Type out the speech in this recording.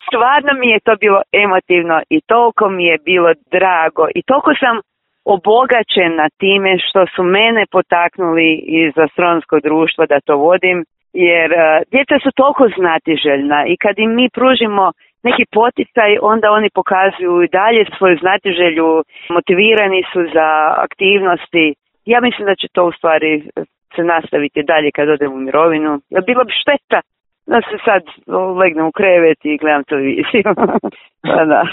stvarno mi je to bilo emotivno i toliko mi je bilo drago i toliko sam obogaćena time što su mene potaknuli iz astronomskog društva da to vodim, jer djeca su toliko znatiželjna i kad im mi pružimo neki poticaj, onda oni pokazuju i dalje svoju znatiželju, motivirani su za aktivnosti. Ja mislim da će to u stvari se nastaviti dalje kad odem u mirovinu. Jer bilo bi šteta da se sad legnem u krevet i gledam televiziju. Da.